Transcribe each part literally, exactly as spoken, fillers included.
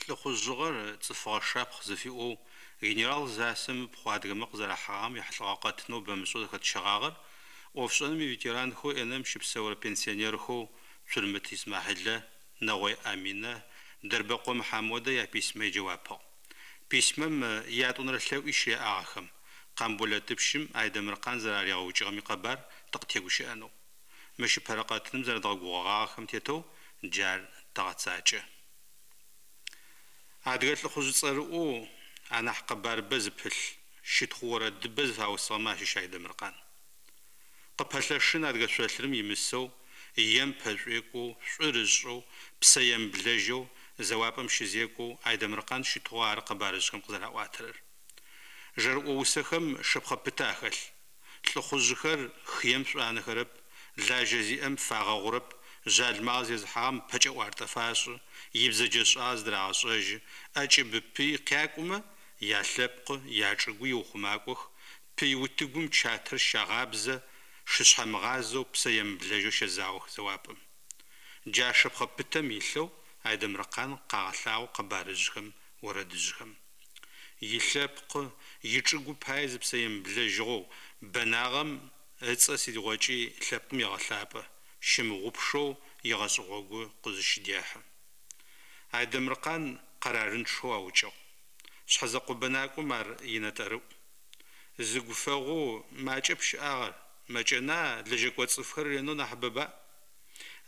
Лӏыхъужъыгъэр цӏыфыгъэ шапхъ зыфиӏоу генерал Зассэм ыпхъу адыгэмэ къызэрахьыгъагъэм ехьылӏэгъэ къэтынэу бэмышӏэу зэхэтщэгъагъэр ӏофшӏэным иветеранхэу Инэм щыпсэурэ пенсионерхэу Цурмыт Исмахьилэ, Нэгъой Аминэ, Дэрбэкъо Мыхьамодэ яписьмэ иджэуапыгъ. Письмэм ятӏонэрэ лъэӏуи щыреӏагъ ахэм, Къамболэтыпщым Айдэмыркъан зэраригъэукӏыгъэм икъэбар тыкъытегущыӏэнэу. Мыщ ыпэрэ къэтыным зэрэдгъэгугъэгъагъэхэм тетэу джар тэгъэцакӏэ. Адыгэ лӏыхъужъ цӏэрыӏоу анахь къэбарыбэ зыпылъ, щытхъу орэдыбэ зыфаусыгъэмэ ащыщ Айдэмыркъан. Къыпэлъэшын адыгэ шъолъырым имысэу, ем пэшӏуекӏоу, шӏур ышӏэу, псэемыблэжьэу зэуапӏэм щызекӏоу Айдэмыркъан щытыгъэу ары къэбарыжъхэм къызэраӏуатэрэр. Жэрыӏо усэхэм шэпхъэ пытэ ахэлъ. Лӏыхъужъхэр хыем шӏуанэхэрэп, лажьэ зиӏэм фагъэгъурэп, жъалымагъэ зезыхьагъэм пэкӏэӏуартӏэ фашӏы, ибзэджэшӏагъэ зыдырагъэшӏэжьы, ӏэкӏыб пый къякӏумэ, ялъэпкъы, ячӏыгу иухъумакӏох, пый утыгум чатэр щагъабзэ, шышъхьэмыгъазэу, псэемыблэжьэу щэзаох зэуапӏэм. Джа шэпхъэ пытэм илъэу Айдэмыркъан къагъэлъагъо къэбарыжъхэм, орэдыжъхэм. Илъэпкъы, ичӏыгу пае зыпсэ емыблэжьыгъэу бэнагъэм ыцӏэ сыдигъокӏи лъэпкъым егъэлъапӏэ, щымыгъупшэу игъэшӏэ гъогу къызыщыдехьы. Айдэмыркъан къэрарынчъэу аукӏыгъ. Шъхьэзэкъо бэнакӏом ар инэтӏэрыӏу. Зыгу фэгъоу макӏэп щыӏагъэр, мэкӏэна, лэжьэкӏо цӏыфхэр ренэу нахьыбэба?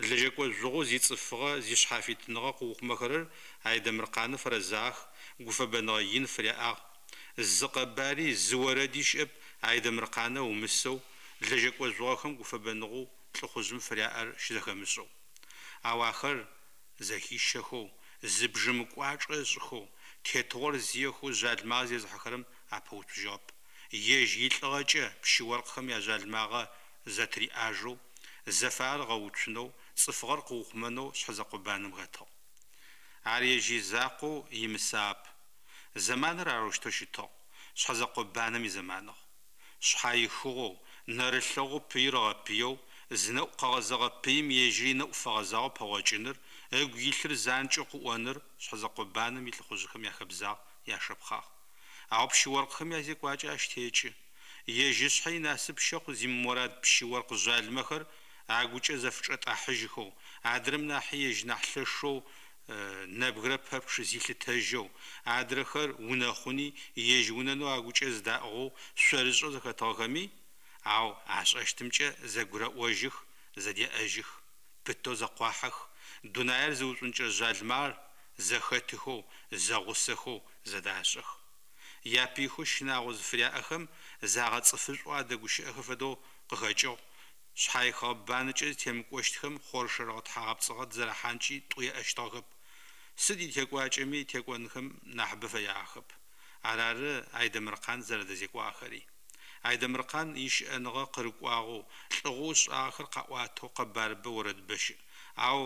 Лэжьэкӏо жъугъэу зицӏыфыгъэ, зишъхьафитыныгъэ къыухъумэхэрэр Айдэмыркъаны фэрэзагъэх, гуфэбэныгъэ ин фыряӏагъ. Зы къэбари, зы орэди щыӏэп Айдэмыркъанэ ыумысэу, лэжьэкӏо жъугъэхэм гуфэбэныгъэу лӏыхъужъым фыряӏэр щызэхэмышӏэу. Ау ахэр зэхищэхэу, зы бжьэмы кӏуачӏэ ышӏыхэу, тетыгъор зиехэу жъалымагъэ зезыхьэхэрэм апэуцужьыгъэп. Ежь илӏыгъэкӏэ пщы-оркъхэм яжъалымагъэ зэтыриӏажэу, зэфагъэр ыгъэуцунэу, цӏыфыгъэр къыухъумэнэу шъхьэзэкъо банэм хэтыгъ. Ар ежь изакъоу имысагъэп. Зэманыр арэущтэу щытыгъ, шъхьэзэкъо банэм изэманыгъ. Шъхьаихыгъэу, нэрылъэгъоу пыир ыгъэпыеу, зынэӏу къэгъэзэгъэ пыим ежьыри ынэӏу фэгъэзагъэу пэгъокӏыныр, ыгу илъыр занкӏэу къыӏоныр шъхьэзэкъо банэм илӏыхъужъхэм яхэбзагъ, яшэпхъагъ. Ау пщы-оркъхэм язекӏуакӏэ ащ текӏы. Ежь ышъхьэ инасып щэхъу зимымурад пщы-оркъ жъалымэхэр агукӏэ зэфычӏэтӏахьыжьхэу, адрэм нахьи ежь нахь лъэшэу нэбгырэ пэпчъ зилъытэжьэу, адрэхэр унэхъуни ежь унэнэу агукӏэ зыдаӏыгъэу шъорышӏэу зэхэтыгъэхэми, ау ашӏэщтымкӏэ зэгурэӏожьых, зэдеӏэжьых, пытэу зэкъуахьэх, дунаир зыушӏункӏырэ жъалымагъэр зэхэтыхэу, зэгъусэхэу зэдашӏэх. Япыйхэу щынагъо зыфыряӏэхэм загъэцӏыфышӏоу адэгущыӏэхэ фэдэу къыхэкӏыгъ, шъхьаихыгъэ банэкӏэ зытемыкӏощтхэм хъоршэрыгъэ-тхьагъэпцӏыгъэ дызэрахьанкӏи тӏу еӏэщтыгъэхэп. Сыд итекӏуакӏэми текӏонхэм нахьыбэ фэягъэхэп. Арары Айдэмыркъан зэрэдэзекӏуагъэхэри. Айдэмыркъан ищыӏэныгъэ къырыкӏуагъэу, лӏыгъэу ышӏагъэхэр къаӏуатэу къэбарыбэ, орэдыбэ щыӏ. Ау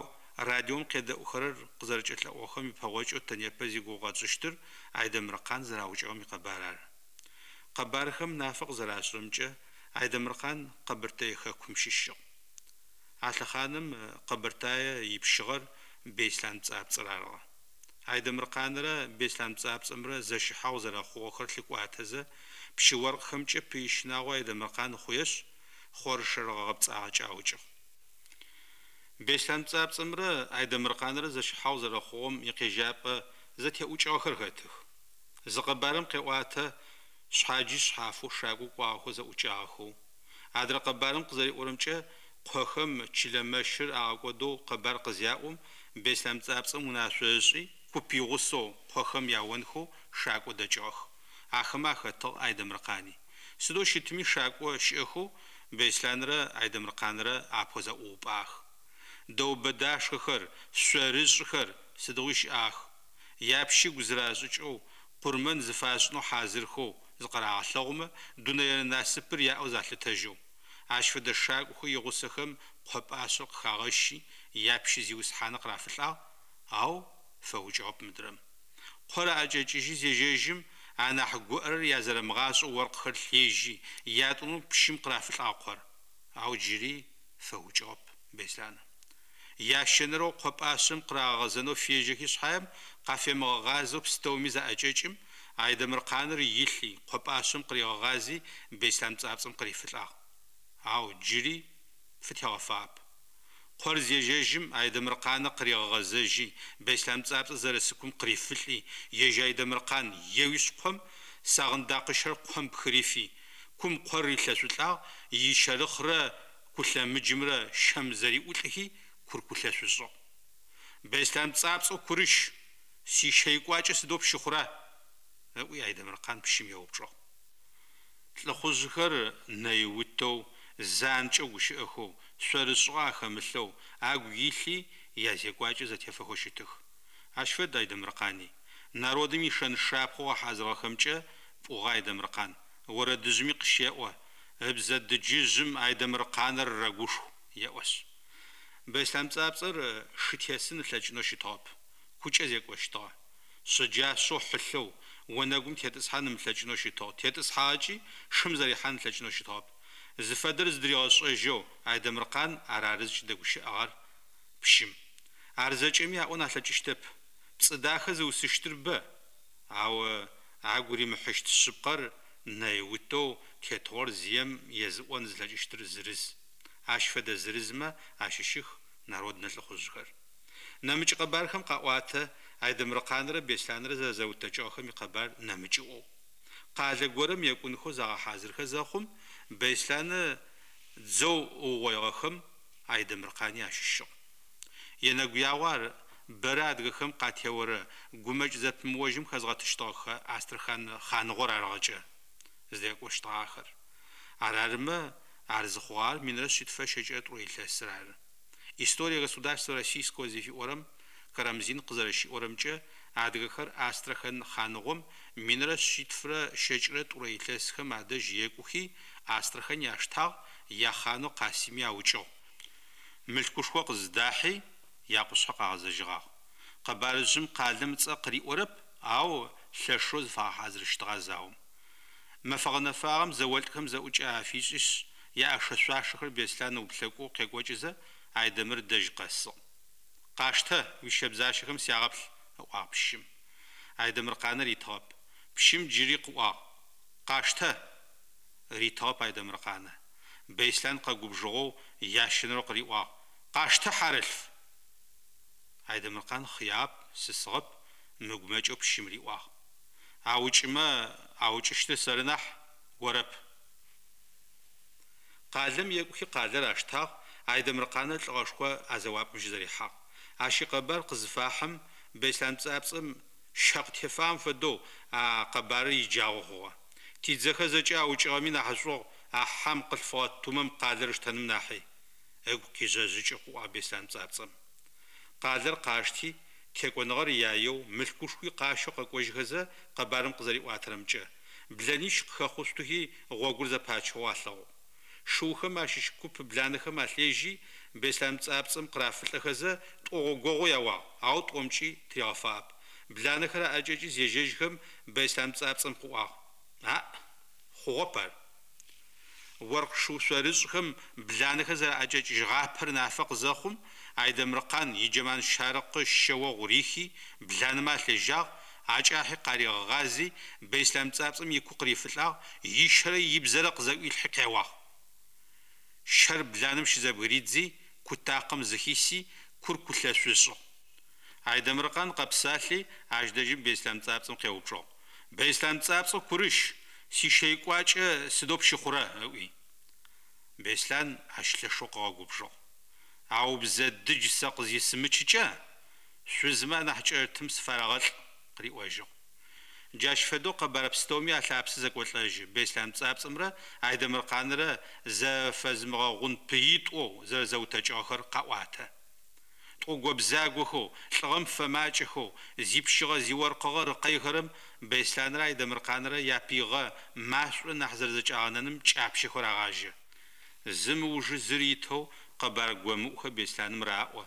радиом къедэӏухэрэр къызэрэкӏэлъэӏугъэхэм ипэгъокӏэу тэ непэ зигугъу къэтшӏыщтыр Айдэмыркъан зэраукӏыгъэм икъэбар ары. Къэбархэм нафэ къызэрашӏырэмкӏэ, Айдэмыркъан Къэбэртэе хэкум щыщыгъ. А лъэхъаным Къэбэртае ипщыгъэр Беслъан Пцӏапцӏэр арыгъэ. Айдэмыркъанрэ Беслъан Пцӏапцӏэмрэ зэщыхьагъу зэрэхъугъэхэр лъыкӏуатэзэ, пщы-оркъхэмкӏэ пый щынагъо Айдэмыркъан хъуешъ, хъоршэрыгъэ гъэпцӏагъэкӏэ аукӏыгъ. Беслъан Пцӏапцӏэмрэ Айдэмыркъанрэ зэщыхьагъу зэрэхъугъэм икъежьапӏэ зэтеӏукӏыгъэхэр хэтых. Зы къэбарым къеӏуатэ шъхьаджи шъхьафэу шакӏо кӏуагъэхэу зэӏукӏагъэхэу. Адрэ къэбарым къызэриӏорэмкӏэ, къохэм чылэ мэщыр агъэкӏодэу къэбар къызяӏум, Беслъан Пцӏапцӏэм унашъо ышӏи, куп игъусэу къохэм яонхэу шакӏо дэкӏыгъэх. Ахэмэ ахэтыгъ Айдэмыркъани. Сыдэу щытми шакӏо щыӏэхэу Беслъанрэ Айдэмыркъанрэ апэу зэӏуупӏагъэх. Дэубэдашхэхэр, шъорышӏхэр сыдигъуи щыӏагъэх. Япщыгу зырашӏыкӏэу, къурмэн зыфашӏынэу хьазырхэу зыкъырагъэлъэгъумэ, дунэе насыпыр яӏэу залъытэжьэу. Ащ фэдэ шакӏохэу игъусэхэм къо пӏашъэр къыхагъэщи, япщы зиусхьаны къырафылӏагъ, ау фэукӏыгъэп мыдрэм. Къор аӏэкӏэкӏыжьи зежьэжьым, анахь гуӏэрэр язэрэмыгъашӏэу оркъхэр лъежьи, ятӏонэу пщым къырафылӏагъ къор, ау джыри фэукӏыгъэп Беслъаны. Ящэнэрэу къо пӏашъэм къырагъэгъэзэнэу фежьэхи шъхьаем, къафемыгъэгъазэу пстэуми заӏэкӏэкӏым, Айдэмыркъаныр илъи, къо пӏашъэм къыригъэгъази, Беслъан Пцӏапцӏэм къырифылӏагъ. Ау джыри фытегъэфагъэп. Къор зежьэжьым, Айдэмыркъанэ къыригъэгъэзэжьи, Беслъан Пцӏапцӏэр зэрысы кум къырифылӏи, ежь Айдэмыркъан еуишъ ком, сагъындакъыщэр ком пхырифи, кум къор рилъэшъулӏагъ, ищэрыхърэ кулъэмыджымрэ щэм зэриӏулӏхи, кур кулъэшъу ышӏыгъ. Беслъан Пцӏапцӏэу курыщ, сищэ икӏуакӏэ сыдэу пщыхъура? ыӏуи Айдэмыркъан пщым еупчӏыгъ. Лӏыхъужъхэр нэиутэу, занкӏэу гущыӏэхэу, шъорышӏыгъэ ахэмылъэу, агу илъи язекӏуакӏи зэтефэхэу щытых. Ащ фэд Айдэмыркъани. Народым ишэн-шапхъэу ыгъэхьазырыгъэхэмкӏэ пӏугъэ Айдэмыркъан. Орэдыжъыми къыщеӏо, Ыбзэ дыджыжъым Айдэмыркъаныр рэгушху, еӏошъ. Беслъан Пцӏапцӏэр шы тесын ылъэкӏынэу щытыгъэп, кукӏэ зекӏощтыгъэ. Шъэджашъэу хьылъэу, онэгум тетӏысхьан ымылъэкӏынэу щытыгъ, тетӏысхьагъэкӏи шым зэрихьан ылъэкӏынэу щытыгъэп. Зыфэдэр зыдыригъэшӏэжьэу Айдэмыркъан ар ары зыкӏыдэгущыӏэгъэр пщым. Ар зэкӏэми аӏон алъэкӏыщтэп. Пцӏы дахэ зыусыщтыр бэ, ау агу римыхьыщт шъыпкъэр нэиутэу тетыгъор зием езыӏон зылъэкӏыщтыр зырыз. Ащ фэдэ зырызмэ ащыщых народнэ лӏыхъужъхэр. Нэмыкӏ къэбархэм къаӏуатэ Айдэмыркъанрэ Беслъанрэ зэрэзэутэкӏыгъэхэм икъэбар нэмыкӏыӏоу. Къалэ горэм екӏунхэу загъэхьазырхэ зэхъум, Беслъаны дзэу ыугъоигъэхэм Айдэмыркъани ащыщыгъ. Енэгуягъо ар бэрэ адыгэхэм къатеорэ гумэкӏ зэпымыожьым хэзгъэтыщтыгъэхэ Астрахань хъаныгъор арыгъэкӏэ зыдэкӏощтыгъахэр. Ар арымэ, ар зыхъугъагъэр минрэ шъитфырэ щэкӏырэ тӏурэ илъэсыр ары. История государства Российского зыфиӏорэм Карамзин къызэрэщиӏорэмкӏэ, адыгэхэр Астрахань хъаныгъом минрэ шъитфырэ щэкӏырэ тӏурэ илъэсхэм адэжь екӏухи, Астрахань аштагъ, яхъанэу Къасими аукӏыгъ, мылъкушхо къызыдахьи, якъушъхьэ къагъэзэжьыгъагъ. Къэбарыжъым къалэм ыцӏэ къыриӏорэп, ау лъэшэу зыфагъэхьазырыщтыгъэ а заом. Мэфэ гъэнэфагъэм зэолӏхэм зэӏукӏэ афишӏишъ, яӏэшэ-шъуашэхэр Беслъан ыуплъэкӏоу къекӏокӏызэ, Айдэмыр дэжь къэсыгъ. Къаштэ, уищэбзащэхэм сягъэплъ, ыӏуагъ пщым. Айдэмыркъанэ ритыгъэп. Пщым джыри къыӏуагъ, Къаштэ! Ритыгъэп Айдэмыркъанэ. Беслъан къэгубжыгъэу ящэнэрэу къыриӏуагъ, Къаштэ, хьарылъф! Айдэмыркъан хъыягъэп, сысыгъэп, мыгумэкӏэу пщым риӏуагъ. Аукӏымэ, аукӏыщтыр сэры нахь, орэп. Къалэм екӏухи къалэр аштагъ, Айдэмыркъанэ лӏыгъэшхо а зэуапӏэм щызэрихьагъ. Ащ икъэбар къызыфахьым, Беслъан Пцӏапцӏэм щэ къытефагъэм фэдэу а къэбарыр иджагъо хъугъэ. Тидзэхэр зэкӏэ аукӏыгъэми нахьышӏугъ а хьам къылъфыгъэ тумэм къалэр ыштэным нахьи, ыгу къижъэжъыкӏэу къыӏуагъ Беслъан Пцӏапцӏэм. Къалэр къашти, текӏоныгъэр яеу, мылъкушхуи къащэу къэкӏожьхэзэ, къэбарым къызэриӏуатэрэмкӏэ, блэнищ къыхэхъушъутыхи гъогур зэпачыгъэу алъэгъугъ. Шыухэм ащыщ куп бланэхэм алъежьи, Беслъан Пцӏапцӏэм къырафылӏэхэзэ, тӏогъогогъо яуагъ, ау тӏомкӏи тыригъэфагъэп. Бланэхэр аӏэкӏэкӏи зежьэжьхэм, Беслъан Пцӏапцӏэм къыӏуагъ, Аӏ, хъугъэп ар. Оркъ шыу шъорышӏхэм бланэхэр зэраӏэкӏэкӏыжьыгъапэр нафэ къызэхъум, Айдэмыркъан иджэман щарыкъы щэ огъу рихи, бланэмэ алъежьагъ, акӏахьи къаригъэгъази, Беслъан Пцӏапцӏэм ику къырифылӏагъ, ищэрэ ибзэрэ къызэӏуилъхьи къеуагъ. Щэр бланэм щызэбгыридзи, кутакъэм зыхиси, кур кулъэшъу ышӏыгъ. Айдэмыркъан къэпсалъи, ащ дэжьым Беслъан Пцӏапцӏэм къеупчӏыгъ. Беслъан Пцӏапцӏэу курыщ, сищэикӏуакӏэ сыдэу пщыхъурэ? ыӏуи. Беслъан ащ лъэшэу къыгъэгубжыгъ. Ау бзэ дыдж сэ къызисымычыкӏэ, шъузмэ анахь кӏэрытым сыфарэгъэлӏ, къыриӏожьыгъ. Джащ фэдэу къэбар пстэуми алъапсэ зэкӏолӏэжьы Беслъан Пцӏапцӏэмрэ Айдэмыркъанрэ зэфэзымыгъэгъун пыитӏоу зэрэзэутэкӏыгъэхэр къаӏуатэ. Тӏого-бзагохэу, лӏыгъэм фэмакӏэхэу, зипщыгъэ-зиоркъыгъэ рыкъэйхэрэм Беслъанрэ Айдэмыркъанрэ япыигъэ машӏо нахь зэрэзэкӏагъэнэным кӏапщэхэу рагъажьэ. Зым ыужы зыр итэу къэбар гомыӏухэр Беслъаным раӏо,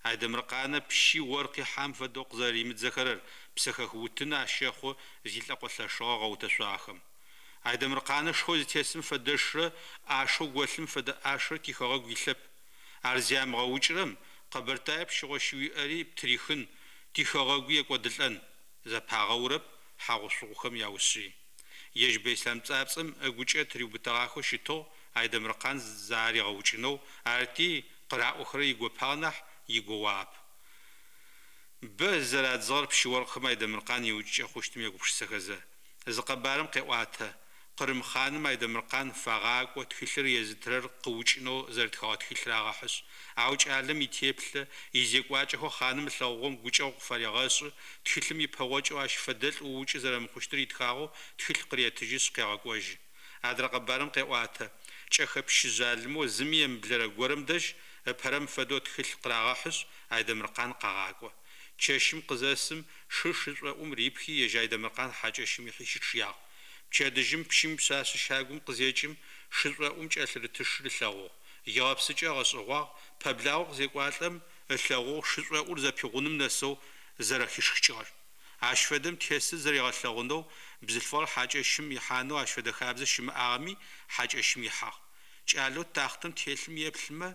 Айдэмыркъанэ пщи оркъи хьам фэдэу къызэрэримыдзэхэрэр псэхэх утын ащэхъу зилӏэкъо лъэшыгъэ гъэутэшъуагъэхэм. Айдэмыркъанэ шэу зытесым фэдэшрэ ӏашэу голъым фэдэ ӏашэрэ тихэгъэгу илъэп. Ар зямыгъэукӏырэм, Къэбэртае пщыгъо щыуиӏэри птырихын, тихэгъэгуи екӏодылӏэн, зэпагъэурэп хьагъу-шъугъухэм яушъыи. Ежь Бэислъам Пцӏапцӏэм ыгукӏэ тыриубытэгъахэу щытыгъ Айдэмыркъан заригъэукӏынэу, арыти, къыраӏохэрэр игопагъ нахь, игоуагъэп. Бэ зызэрадзыгъэр пщы-оркъхэм Айдэмыркъан иукӏыкӏэ хъущтым егупшысэхэзэ. Зы къэбарым къеӏуатэ, къырым хъаным Айдэмыркъан фагъакӏо тхылъыр езытырэр къыукӏынэу зэрытхэгъэ тхылъ рагъэхьышъ. Ау кӏалэм итеплъэ, изекӏуакӏэхэу хъаным ылъэгъугъэм гукӏэгъу къыфарегъэшӏы, тхылъым ипэгъокӏэу ащ фэдэлӏ уукӏы зэрэмыхъущтыр итхагъэу тхылъ къыретыжьышъ къегъэкӏожьы. Адрэ къэбарым къеӏуатэ, кӏэхэ пщы жъалымэу зыми емыблэрэ горэм дэжь, ыпэрэм фэдэу тхылъ къырагъэхьышъ, Айдэмыркъан къагъакӏо. Чэщым къызэсым, шыр шышӏоӏум рипхи, ежь Айдэмыркъан хьакӏэщым ихьи щычъыягъ. Пчэдыжьым пщым ипшъашъэ щагум къызекӏым, шышӏоӏум кӏэлъырытышыр ылъэгъугъ. Игъэпсыкӏэ ыгъэшӏэгъуагъ, пэблагъэу къызекӏуалӏэм, ылъэгъугъ шышӏоӏур зэпигъуным нэсэу зэрэхишхыкӏыгъэр. Ащ фэдэм тесыр зэригъэлъэгъунэу бзылъфыгъэр хьакӏэщым ихьанэу ащ фэдэ хабзэ щымыӏагъэми, хьакӏэщым ихьагъ. Кӏалэу тахътэм телъым еплъымэ,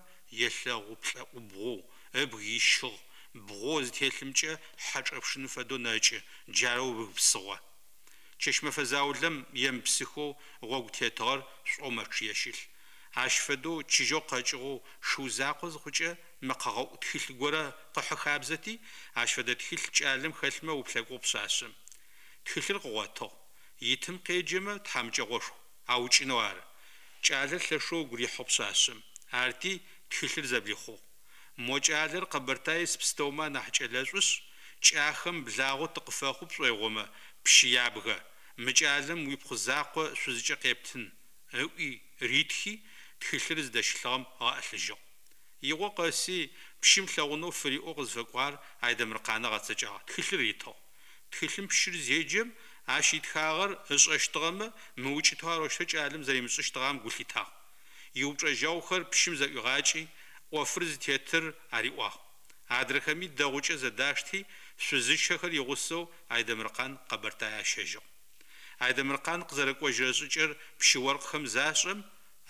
елъэгъу плӏэӏубгъоу, ыбг ищыгъ, бгъоу зытелъымкӏэ хьэ чӏэпшыным фэдэу нэкӏы, джарэу ыбг псыгъо. Чэщ-мэфэ заулэм емыпсыхэу гъогу тетыгъэр шӏоу мэчъые щылъ. Ащ фэдэу чыжьэу къэкӏыгъэу шыу закъо зыхъукӏэ мэкъэгъэӏу тхылъ горэ къыхьы хабзэти, ащ фэдэ тхылъ кӏалэм хэлъмэ ыуплъэкӏугъ пшъашъэм. Тхылъыр къыгъотыгъ. Итым къеджэмэ, тхьамыкӏэгъошху, аукӏынэу ары. Кӏалэр лъэшэу ыгу рихьыгъ пшъашъэм. Арти, тхылъыр зэблихъугъ. Мо кӏалэр Къэбэртае ис пстэумэ анахь кӏэлэшӏушъ, кӏахэм благъэу тыкъыфэхъу пшӏоигъомэ, пщы ябгэ, мы кӏалэм уипхъу закъо шъузыкӏэ къептын, ыӏуи ритхи, тхылъыр зыдэщылъыгъэм ыгъэӏылъыжьыгъ. Игъо къэси, пщым лъэгъунэу фыриӏэу къызфэкӏуагъэр Айдэмыркъанэ ыгъэцэкӏагъ, тхылъыр ритыгъ. Тхылъым пщыр зеджэм, ащ итхагъэр ышӏэщтыгъэмэ, мыукӏытэу арэущтэу кӏалэм зэримышӏыщтыгъэм гу лъитагъ. Иупчӏэжьэгъухэр пщым зэӏуигъакӏи, ӏофыр зытетыр ариӏуагъ. Адрэхэми дэгъукӏэ зэдашти, шъузыщэхэр игъусэу Айдэмыркъан Къэбэртае ащэжьыгъ. Айдэмыркъан къызэрэкӏожьырэ шӏыкӏэр пщы-оркъхэм зашӏэм,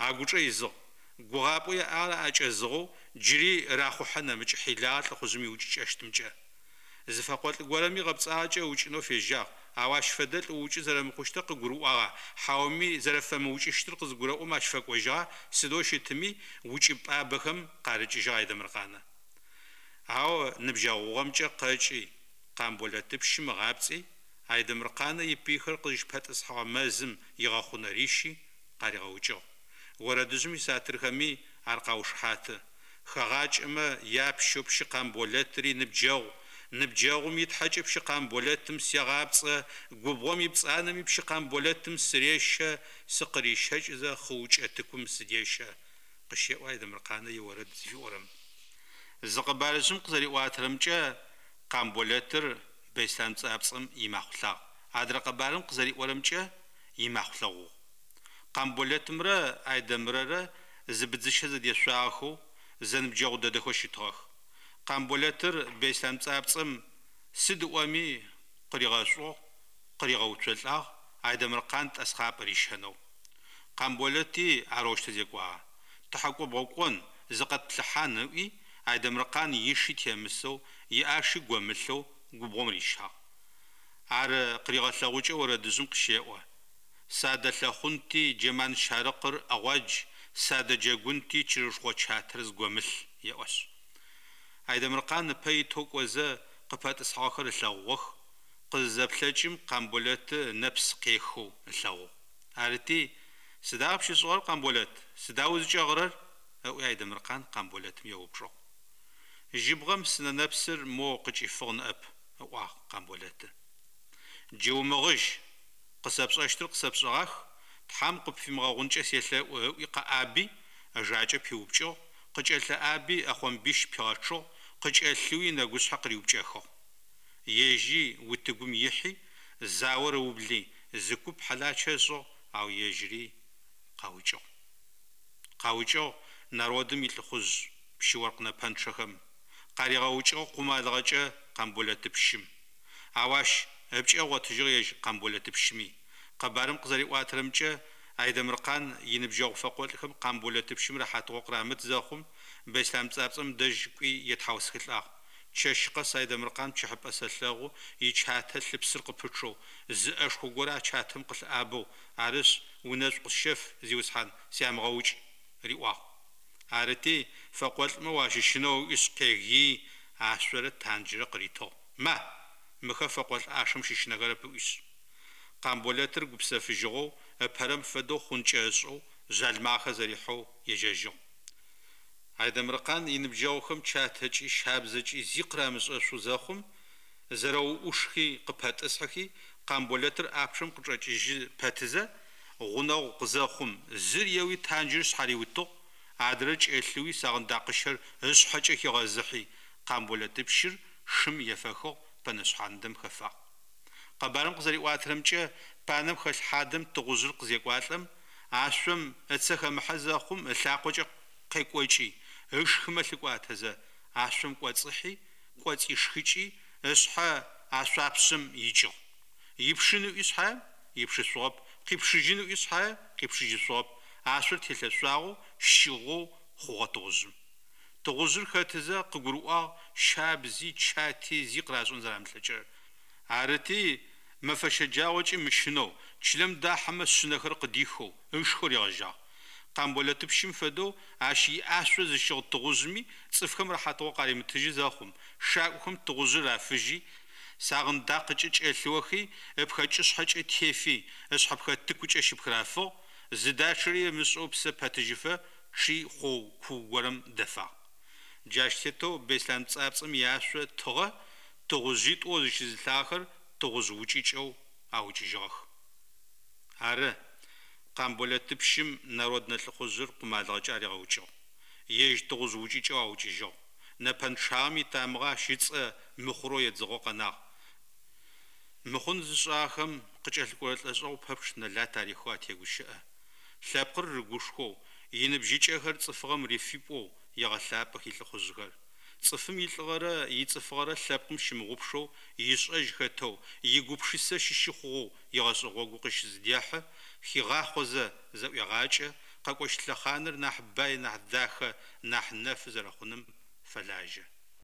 агучӏэ изыгъ. Гугъапӏэу яӏагъэр аӏэкӏэзыгъэу, джыри рахъухьэ нэмыкӏ хьилагъэ лӏыхъужъым иукӏыкӏэщтымкӏэ. Зы фэкъолӏ горэми гъэпцӏагъэкӏэ ыукӏынэу фежьагъ, ау ащ фэдэлӏ уукӏы зэрэмыхъущтыр къыгурыӏуагъа, хьауми зэрэфэмыукӏыщтыр къызыгурэӏом ащ фэкӏожьыгъа, сыдэу щытми, укӏыпӏабэхэм къарыкӏыжьыгъ Айдэмыркъанэ. Ау ныбджэгъугъэмкӏэ къэкӏи, Къамболэтыпщым ыгъапцӏи, Айдэмыркъанэ ипыйхэр къызыщыпэтӏысхьэгъэ мэзым игъэхъунэ рищи, къаригъэукӏыгъ. Орэдыжъым исатырхэми ар къаушыхьаты. Хэгъакӏэмэ япщэу пщы Къамболэтыри ныбджэгъу, Ныбджэгъум и Тхьэкӏэ пщы Къамболэтым сегъапцӏэ, Губгъом ипцӏанэми пщы Къамболэтым сырещэ, Сыкъырищэкӏызэ хъыукӏэ тыкум сыдещэ, къыщеӏо Айдэмыркъанэ иорэд зыфиӏорэм. Зы къэбарыжъым къызэриӏуатэрэмкӏэ, Къамболэтыр Бэислъан Пцӏапцӏэм имахъулъагъ, адрэ къэбарым къызэриӏорэмкӏэ, имахъулъэгъугъ. Къамболэтымрэ Айдэмырэрэ зы быдзыщэ зэдешъуагъэхэу, зэныбджэгъу дэдэхэу щытыгъэх. Къамболэтыр Бэислъан Пцӏапцӏэм сыд ыӏоми къыригъэшӏугъ, къыригъэуцолӏагъ Айдэмыркъан тӏэсхъапӏэ рищэнэу. Къамболэти арэущтэу зекӏуагъэ. Тыхьэкӏо-бгъэкӏон, зыкъэтплъыхьан ыӏуи, Айдэмыркъан иши темысэу, иӏаши гомылъэу губгъом рищагъ. Ар къыригъэлъэгъукӏэу орэдыжъым къыщеӏо. Садэлъэхъунти джэман щарыкъыр ӏэгъуадж, садэджэгунти чырышхъо чатэр згомылъ, еӏошъ. Айдэмыркъан ыпэ итэу кӏозэ, къыпэтӏысхьагъэхэр ылъэгъугъэх, къызызэплъэкӏым Къамболэты ынэпс къехэу ылъэгъугъ. Арыти, Сыда къыпщышӏыгъэр, Къамболэт, сыда узыкӏэгъырэр? ыӏуи Айдэмыркъан Къамболэтым еупчӏыгъ. Жьыбгъэм сынэ нэпсыр моу къыкӏифыгъ ныӏэп, ыӏуагъ Къамболэты. Джы умыгъыжь, къысэпшӏэщтыр къысэпшӏэгъах, Тхьэм къыпфимыгъэгъункӏэ селъэӏу, ыӏуи къэӏаби, ыжакӏэ пиупкӏыгъ, къыкӏэлъыӏаби ӏэхъомбищ пигъэчъыгъ, къыкӏэлъыуи ынэгушъхьэ къыриупкӏэхыгъ. Ежьи утыгум ихьи, заор ыубли, зы куп хьалачэ ышӏыгъ, ау ежьыри къаукӏыгъ. Къаукӏыгъ народым илӏыхъужъ пщы-оркъ нэпэнчъэхэм. Къаригъэукӏыгъ къумалыгъэкӏэ Къамболэтыпщым. Ау ащ ыпкӏэ ыгъотыжьыгъ ежь Къамболэтыпщыми. Къэбарым къызэриӏуатэрэмкӏэ, Айдэмыркъан иныбджэгъу фэкъолӏхэм Къамболэтыпщым рэхьатыгъо къырамыт зэхъум, Бэслъан Пцӏапцӏэм дэжь кӏуи етхьаусхылӏагъ. Чэщ къэс Айдэмыркъан пчыхьыпӏэ сэлъэгъу ичатэ лъыпсыр къыпычъэу, зы ӏэшхо горэ а чатэм къылъыӏабэу, арышъ, унэшӏу къысщэф, зиусхьан, сямыгъэукӏ, риӏуагъ. Арыти, фэкъолӏмэ уащыщынэу ыӏуишъ къегыий, ашъорэ танджрэ къыритыгъ, ма, мыхэр фэкъолӏ ӏашэм щыщынэхэрэп ыӏуишъ. Къамболэтыр гупсэфыжьыгъэу, ыпэрэм фэдэу хъункӏэ ышӏэу, жъалымагъэхэр зэрихьэу ежьэжьыгъ. Айдэмыркъан иныбджэгъухэм чатэкӏи щабзэкӏи зи къырамышӏэшъу зэхъум, зэрэуӏушхи къыпэтӏысхьэхи, Къамболэтыр ӏапчъэм къычӏэкӏыжьы пэтызэ, гъунэгъу къызэхъум, зыр еуи танджыр шъхьариутыгъ, адрэр кӏэлъыуи сагъындакъыщэр ышъхьэкӏэ хигъэзыхьи, Къамболэтыпщыр шым ефэхыгъ, пэнэшъхьандэм хэфагъ. Къэбарым къызэриӏуатэрэмкӏэ, панэм хэлъ хьадэм тыгъужъыр къызекӏуалӏэм, ашъом ыцэ хэмыхьэ зэхъум, ылъакъокӏэ къекӏокӏи, ышхымэ лъыкӏуатэзэ, ашъом кӏоцӏыхьи, кӏоцӏишхыкӏи, ышъхьэ ашъуапшъэм икӏыгъ. Ипшын ыӏуи шъхьаем, ипшышъугъэп, къипшыжьын ыӏуи шъхьае, къипшыжьышъугъэп, ашъор телъэшъуагъэу, щыгъэу хъугъэ тыгъужъым. Тыгъужъыр хэтызэ къыгурыӏуагъ щабзи, чати зи къырашӏэн зэрамылъэкӏырэр. Арыти, мэфэ щэджагъокӏи мыщынэу, чылэм дахьэмэ шъынэхэр къыдихэу, ышхэу ригъэжьагъ. Къамболэтыпщым фэдэу ащ иӏашъо зыщыгъ тыгъужъми цӏыфхэм рэхьатыгъо къаримытыжьы зэхъум, шакӏохэм тыгъужъыр рафыжьи, сагъындакъыкӏэ кӏэлъыохи, ыпхэкӏышъхьэкӏэ тефи, ышъхьэпхэтыкукӏэ щыпхырафыгъ, зыдачъэри ымышӏэу псэ пэтыжьыфэ чъи хъоу куу горэм дэфагъ. Джащ тетэу Беслъан Пцӏапцӏэм иашъо тыгъэ тыгъужъитӏоу зыщызылъагъэхэр тыгъужъ укӏыкӏэу аукӏыжьыгъэх. Ары, Къамболэтыпщым народнэ лӏыхъужъыр къумалыгъэкӏэ аригъэукӏыгъ. Ежь тыгъужъ укӏыкӏэу аукӏыжьыгъ. Нэпэнчъагъэм итамыгъэ ащ ыцӏэ мыхъурэу едзыгъэу къэнагъ. Мыхъун зышӏагъэхэм къыкӏэлъыкӏорэ лӏэшӏэгъу пэпчъ нэлат арихэу атегущыӏэ. Лъэпкъыр рыгушхоу, иныбжьыкӏэхэр цӏыфыгъэм рифипӏоу егъэлъапӏэх илӏыхъужъхэр. Цӏыфым илӏыгъэрэ ицӏыфыгъэрэ лъэпкъым щымыгъупшэу, ишӏэжь хэтэу, игупшысэ щыщы хъугъэу игъэшӏэ гъогу къыщызыдехьы, хигъахъозэ зэӏуегъакӏэ, къэкӏощт лъэхъаныр нахь бай, нахь дахэ, нахь нэфы зэрэхъуным фэлажьэ.